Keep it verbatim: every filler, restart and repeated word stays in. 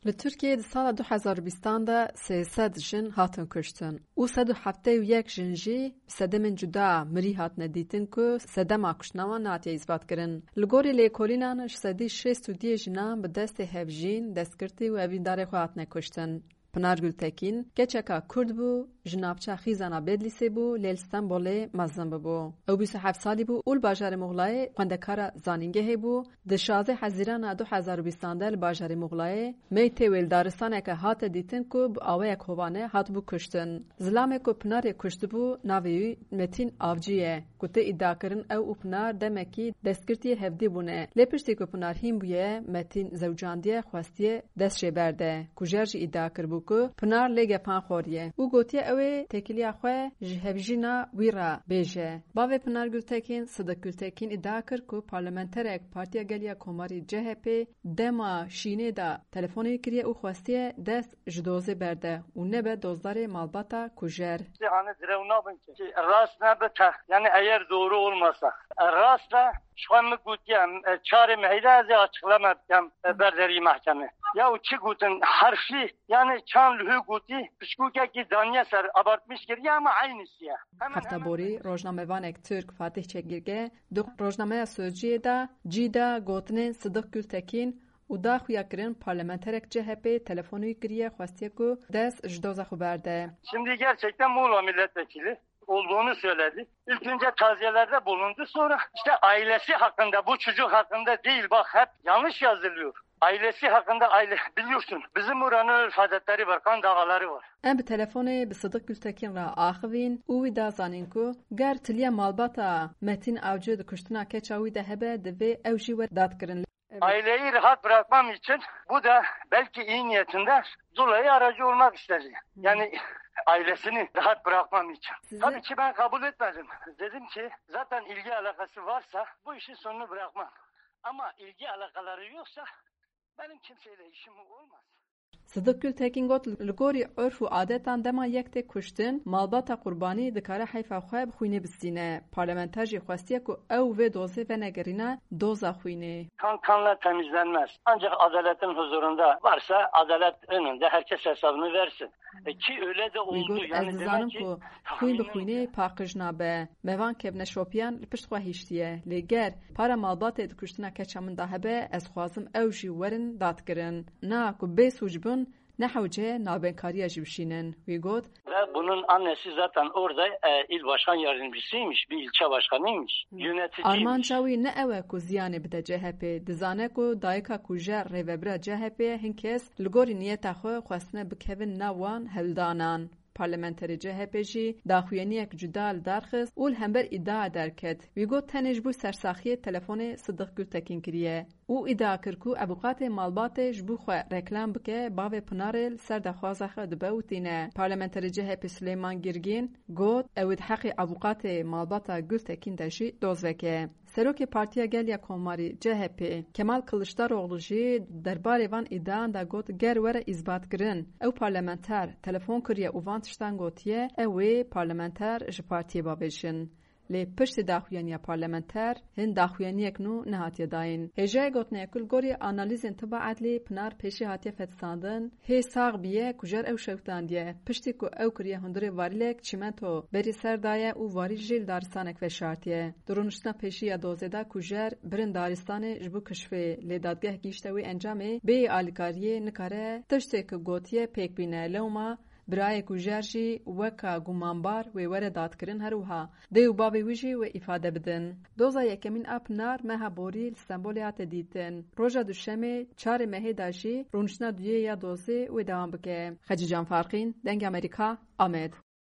Li Tirkiyeyê di sala du hezar û bîstan de sê sed jin hatin kuştin û sed û heftê û yek jin jî bi sedemên cuda mirî hatine dîtin ku sedema kuştina wan nehatiye îsbatkirin. Li gorî lêkolînan ji sedî şêst û duyê jinan bi destê hevjîn, destgirtî û evîndarê xwe hatine kuştin. Pinar Gultekîn keçeka Kurd bû, ji navça Xîzana Bedlîsê bû, lê li Stenbolê mezin bûbû. Ew bîst û heft salî bû û li bajarê Muxlayê xwendekara zanîngehê bû. Di şazdeh Hezîrana du hezar û bîstan de li bajarê Muxlayê meytê wê li daristaneke hate dîtin ku bi awayek hovane hatibû kuştin. Zilamê ku Pinarê kuştibû navê wî Metîn Avcî ye. Ku tê îdiakirin ew û Pinar demekî destgirtiyê hevdî bûne. Lê piştî ku Pinar hîn bûye, Metîn zewcandiye, xwestiye dest jê berde. Kujer jî îdia kiribû ku Pinar lê gefan xwariye û gotiye ew ê têkiliya xwe ji hevjîna wî re bêje. Bavê Pinar Gultekîn, Sidik Gultekîn îdia kir ku parlamenterek Partiya Gel ya Komarî C H P dema şînê de telefonê kiriye û xwestiye dest ji dozê berde û nebe dozdarê malbata kujer. Hani direw nabin ki. Ki rast ne bi text. Yani eğer doğru olmasa. Rast da şu an mi gutiye, e, çarê mehîde ez ê açıklama bikem, e, berderî mahkeme. Ya û çi gutin harfî, yani çan lühü guti, pişkûkekî daniye ser abartmış kiriye ama aynısı ya. Hemen Hefta hemen borî rojnamevanek Tirk Fatih Çekirge di rojnameya Sözcüyê de cî da gotinên Sidik Gültekin û da xuya kirin parlamenterek C H P telefonî kiriye, xwestiye ku dest ji doza xwe berde. Şimdi gerçekten Muğla milletvekili olduğunu söyledi. İlk önce taziyelerde bulundu, sonra işte ailesi hakkında, bu çocuk hakkında değil, bak hep yanlış yazılıyor. Ailesi hakkında aile biliyorsun. Bizim oranın örf adetleri var, kan davaları var. Em bi telefonê bi Sidik Gültekin re axivîn û wî da zanîn ku ger tiliya malbata Metîn Avcı di kuştina keça wî de hebe, divê ew jî were dadkirin. Evet. Aileyi rahat bırakmam için bu da belki iyi niyetinde dolayı aracı olmak istedi. Hı. Yani ailesini rahat bırakmam için. Sizi Tabii ki ben kabul etmedim. Dedim ki zaten ilgi alakası varsa bu işin sonunu bırakmam. Ama ilgi alakaları yoksa benim kimseyle işim olmaz. Sidik Gültekin got, li gorî urf û adetan dema yek tê kuştin, malbata qurbanî dikare heyfa xwe bi xwînê bistîne. Parlamenter jî xwestiye ku ew vê dozê venegerîne doza xwînê. Kan kanla temizlenmez. Ancak adaletin huzurunda varsa adalet önünde herkes hesabını versin. E, ki öyle de Wî oldu. Got, Yani ez dizanim demek ki ku xwîn bi tahmini xwînê paqij nabe. Me van kevneşopiyan li pişt xwe hiştiye. Lê ger para malbatê di kuştina keça min de hebe, ez xwazim ew jî werin dadkirin. Na ku bê sûc bin, ne hewce navbenkariya jî bişînin. Wî got, Ve bunun annesi zaten orada, e, il başkan yardımcısıymış, bir ilçe başkanıymış, Hmm. yöneticiymiş. Armanca wî ne ew e ku ziyanê bide C H P. Dizane ku dayika ku jê rêvebira C H P ye, hin kes li gorî niyeta xwe xwestine bikevin nav wan hewldanan. Parlamenterê C H P jî daxuyaniyek cuda li dar xist û li hember îdia derket. Wî got, tenê ji bo sersaxiyê telefonê Sidik Gültekin kiriye û îdia kir ku avûkatê malbatê ji bo xwe reklam bike, bavê Pinarê li ser daxwaza xwe dibe û tîne. Parlamenterê C H P Silêman Girgîn got, ew ê di heqê avûkatê malbata Gültekin de jî doz veke. Serokê Partiya Gel ya Komarî, C H P, Kemal Kiliçdaroglu jî derbarê van îdiayan de got, ger were îsbatkirin, ew parlamenter telefon kiriye û van tiştan gotiye, ew ê parlamenter ji partiyê bavêjin. Lê piştî daxuyaniya parlamenter, hin daxuyaniyek nû nehatiye dayîn. Hêjayê gotinê ku li gorî analîzên tiba edlî Pinar pêşî hatiye fetisandin, hê sax bûye, kujer ew şewtandiye. Piştî ku ew kiriye hundirê varîlek çîmento berî ser daye û varîl jî li daristanek veşartiye. Di rûniştina pêşî ya dozê de kujer birin daristanê ji bo kişfê, lê dadgeh gihîşte wê encamê bêyî alîkariyê nikare tiştê ku gotiye pêk bîne. Lewma birayê kujer jî weka gumanbar wê were dadkirin, her wiha dê û bavê wî jî wê îfade bidin. Doza yekemîn a Pinar meha borî li Stenbolê hate dîtin. Roja duşemê çarê mehê de jî rûniştina duyê ya dozê wê dewam bike. Xecîcan Farqîn, Dengê Amerîka, Amed.